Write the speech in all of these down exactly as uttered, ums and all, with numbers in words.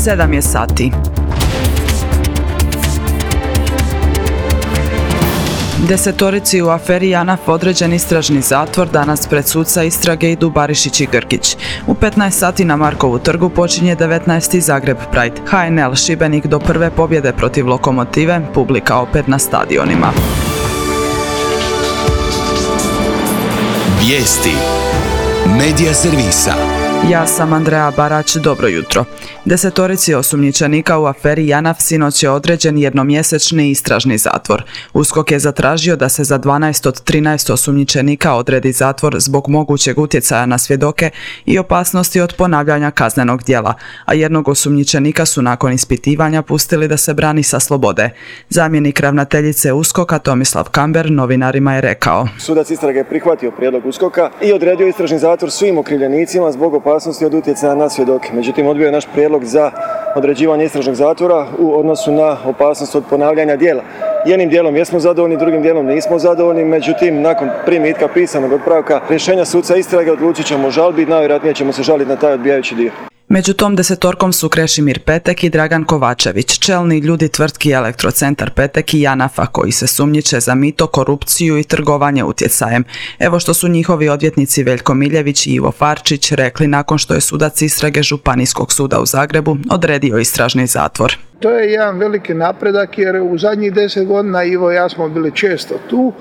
sedam je sati. Desetorici u aferi JANAF određen istražni zatvor, danas pred suca istrage idu Barišić i Grgić. U petnaest sati na Markovu trgu počinje devetnaesti Zagreb Pride. H N L Šibenik do prve pobjede protiv Lokomotive, publika opet na stadionima. Vijesti Medija servisa. Ja sam Andreja Barać, dobro jutro. Desetorici osumnjičenika u aferi JANAF sinoć je određen jednomjesečni istražni zatvor. USKOK je zatražio da se za dvanaest od trinaest osumnjičenika odredi zatvor zbog mogućeg utjecaja na svjedoke i opasnosti od ponavljanja kaznenog djela, a jednog osumnjičenika su nakon ispitivanja pustili da se brani sa slobode. Zamjenik ravnateljice USKOK-a Tomislav Kamber novinarima je rekao: Sudac istrage je prihvatio prijedlog USKOK-a i odredio istražni zatvor svim okrivljenicima zbog opasnosti od utjecaja na svjedoke. Međutim, odbio je naš prijedlog za određivanje istražnog zatvora u odnosu na opasnost od ponavljanja djela. Jednim dijelom jesmo zadovoljni, drugim dijelom nismo zadovoljni, međutim, nakon primitka pisanog otpravka rješenja suca istrage odlučit ćemo o žalbi, najvjerojatnije ćemo se žaliti na taj odbijajući dio. Među tom desetorkom su Krešimir Petek i Dragan Kovačević, čelni ljudi tvrtki Elektrocentar Petek i JANAF-a, koji se sumnjiče za mito, korupciju i trgovanje utjecajem. Evo što su njihovi odvjetnici Veljko Miljević i Ivo Farčić rekli nakon što je sudac istrage Županijskog suda u Zagrebu odredio istražni zatvor. To je jedan veliki napredak jer u zadnjih deset godina Ivo i ja smo bili često tu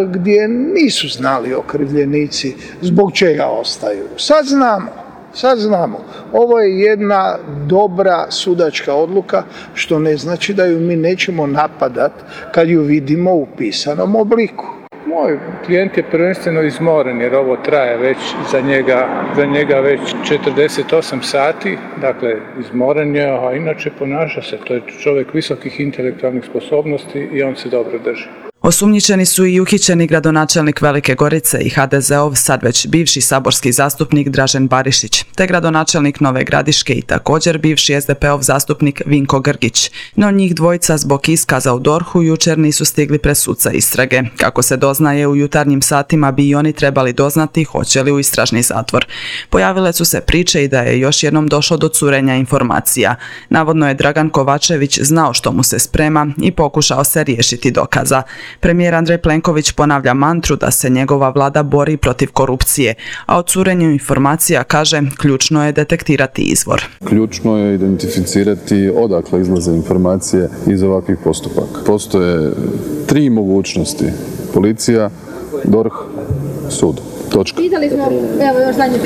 gdje nisu znali okrivljenici zbog čega ostaju. Sad znamo. Sad znamo, ovo je jedna dobra sudačka odluka, što ne znači da ju mi nećemo napadat kad ju vidimo u pisanom obliku. Moj klijent je prvenstveno izmoren jer ovo traje već za njega, za njega već četrdeset osam sati, dakle izmoren je, a inače ponaša se, to je čovjek visokih intelektualnih sposobnosti i on se dobro drži. Osumnjičeni su i uhićeni gradonačelnik Velike Gorice i ha de ze ov sad već bivši saborski zastupnik Dražen Barišić, te gradonačelnik Nove Gradiške i također bivši es de pe ov zastupnik Vinko Grgić. No njih dvojica zbog iskaza u dorhu jučer nisu stigli pred suca istrage. Kako se doznaje, u jutarnjim satima bi i oni trebali doznati hoće li u istražni zatvor. Pojavile su se priče i da je još jednom došlo do curenja informacija. Navodno je Dragan Kovačević znao što mu se sprema i pokušao se riješiti dokaza. Premijer Andrej Plenković ponavlja mantru da se njegova vlada bori protiv korupcije, a o curenju informacija kaže ključno je detektirati izvor. Ključno je identificirati odakle izlaze informacije iz ovakvih postupaka. Postoje tri mogućnosti: policija, dorh, sud. Točka.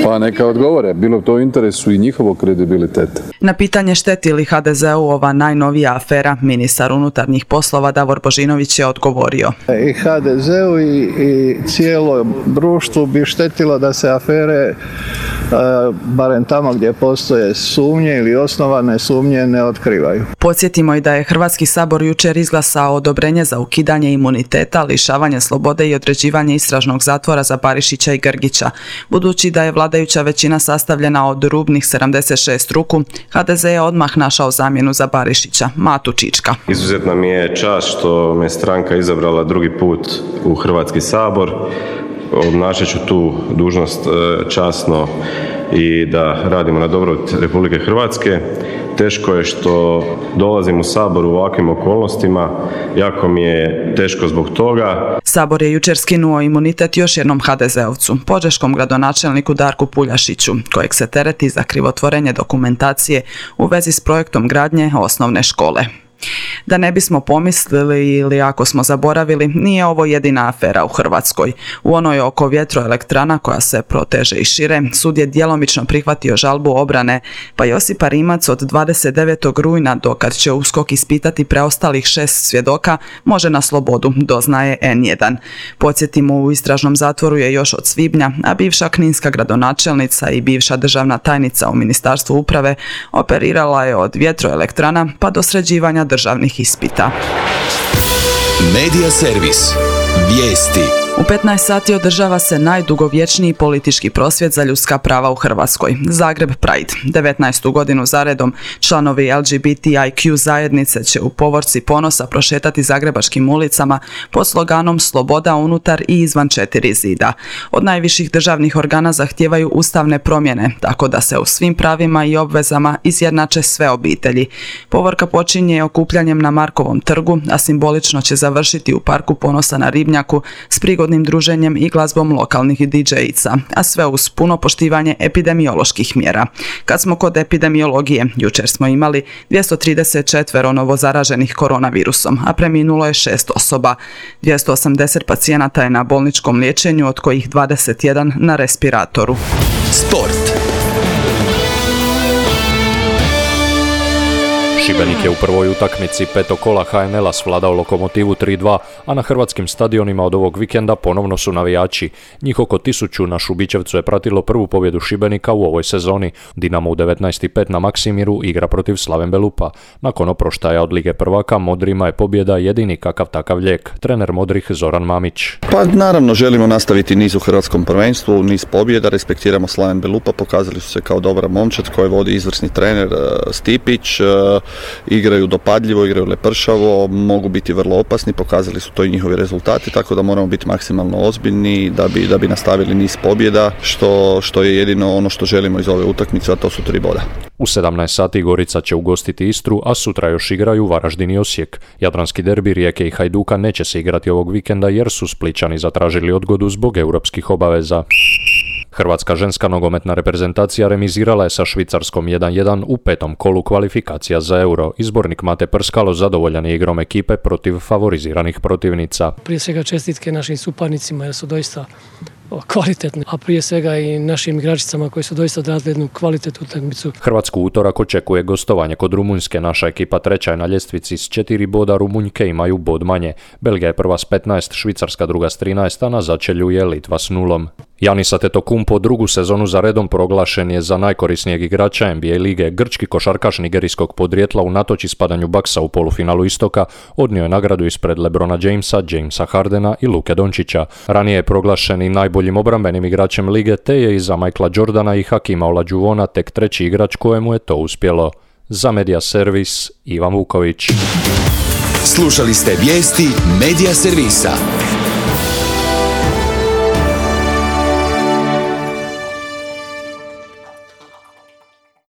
Pa neka odgovore, bilo to u interesu i njihovog kredibiliteta. Na pitanje šteti li ha de ze u ova najnovija afera, ministar unutarnjih poslova Davor Božinović je odgovorio: I ha de zeu i, i cijelo društvu bi štetilo da se afere, barem tamo gdje postoje sumnje ili osnovane sumnje, ne otkrivaju. Podsjetimo i da je Hrvatski sabor jučer izglasao odobrenje za ukidanje imuniteta, lišavanje slobode i određivanje istražnog zatvora za Barišića i Grgića. Budući da je vladajuća većina sastavljena od rubnih sedamdeset šest ruku, ha de ze je odmah našao zamjenu za Barišića, Matu Čička. Izuzetna mi je čast što me stranka izabrala drugi put u Hrvatski sabor. Obnašat ću tu dužnost časno i da radimo na dobrobit Republike Hrvatske. Teško je što dolazim u Sabor u ovakvim okolnostima, jako mi je teško zbog toga. Sabor je jučer skinuo imunitet još jednom ha de ze ovcu, požeškom gradonačelniku Darku Puljašiću, kojeg se tereti za krivotvorenje dokumentacije u vezi s projektom gradnje osnovne škole. Da ne bismo pomislili ili ako smo zaboravili, nije ovo jedina afera u Hrvatskoj. U onoj oko vjetroelektrana koja se proteže i šire, sud je djelomično prihvatio žalbu obrane, pa Josipa Rimac od dvadeset devetog rujna, dokad će USKOK ispitati preostalih šest svjedoka, može na slobodu, doznaje en jedan. Podsjetimo, u istražnom zatvoru je još od svibnja, a bivša kninska gradonačelnica i bivša državna tajnica u Ministarstvu uprave operirala je od vjetroelektrana pa do sređivanja državnih ispita. Medija servis. Vijesti. U petnaest sati održava se najdugovječniji politički prosvjed za ljudska prava u Hrvatskoj, Zagreb Pride. devetnaestu godinu zaredom članovi L G B T I Q zajednice će u povorci ponosa prošetati zagrebačkim ulicama pod sloganom Sloboda unutar i izvan četiri zida. Od najviših državnih organa zahtijevaju ustavne promjene, tako da se u svim pravima i obvezama izjednače sve obitelji. Povorka počinje okupljanjem na Markovom trgu, a simbolično će završiti u Parku ponosa na Ribnjaku s prigodnim druženjem i glazbom lokalnih D J-ica, a sve uz puno poštivanje epidemioloških mjera. Kad smo kod epidemiologije, jučer smo imali dvjesto trideset četiri novozaraženih koronavirusom, a preminulo je šest osoba. dvjesto osamdeset pacijenata je na bolničkom liječenju, od kojih dvadeset jedan na respiratoru. Sport. Šibenik je u prvoj utakmici petog kola H N L-a svladao Lokomotivu tri dva, a na hrvatskim stadionima od ovog vikenda ponovno su navijači. Njih oko tisuću na Šubićevcu je pratilo prvu pobjedu Šibenika u ovoj sezoni. Dinamo u devetnaest pet na Maksimiru igra protiv Slaven Belupa. Nakon oproštaja od Lige prvaka, Modrima je pobjeda jedini kakav takav lijek. Trener Modrih Zoran Mamić. Pa naravno želimo nastaviti niz u hrvatskom prvenstvu, niz pobjeda, respektiramo Slaven Belupa, pokazali su se kao dobra momčad koje vodi izvrsni trener Stipić. Igraju dopadljivo, igraju lepršavo, mogu biti vrlo opasni, pokazali su to i njihovi rezultati, tako da moramo biti maksimalno ozbiljni da bi, da bi nastavili niz pobjeda, što, što je jedino ono što želimo iz ove utakmice, a to su tri boda. U sedamnaest sati Gorica će ugostiti Istru, a sutra još igraju Varaždin i Osijek. Jadranski derbi Rijeke i Hajduka neće se igrati ovog vikenda jer su Splićani zatražili odgodu zbog europskih obaveza. Hrvatska ženska nogometna reprezentacija remizirala je sa Švicarskom jedan jedan u petom kolu kvalifikacija za Euro. Izbornik Mate Prskalo zadovoljan je igrom ekipe protiv favoriziranih protivnica. Prije svega čestitke našim suparnicima jer su doista kvalitetne, a prije svega i našim igračicama koji su doista odradili jednu kvalitetnu utakmicu. Hrvatsku utorak očekuje gostovanje kod Rumunjske. Naša ekipa treća je na ljestvici s četiri boda, Rumunjke imaju bod manje. Belgija je prva s petnaest, Švicarska druga s trinaest, a na začelju je Litva s nulom. Giannis Antetokounmpo drugu sezonu za redom proglašen je za najkorisnijeg igrača N B A lige. Grčki košarkaš nigerijskog podrijetla unatoč ispadanju Bucksa u polufinalu istoka odnio je nagradu ispred LeBrona Jamesa, Jamesa Hardena i Luke Dončića. Ranije je proglašen i najboljim obrambenim igračem lige, te je iza Michaela Jordana i Hakima Olajuwona tek treći igrač kojemu je to uspjelo. Za Media Servis, Ivan Vuković. Slušali ste vijesti Media Servisa.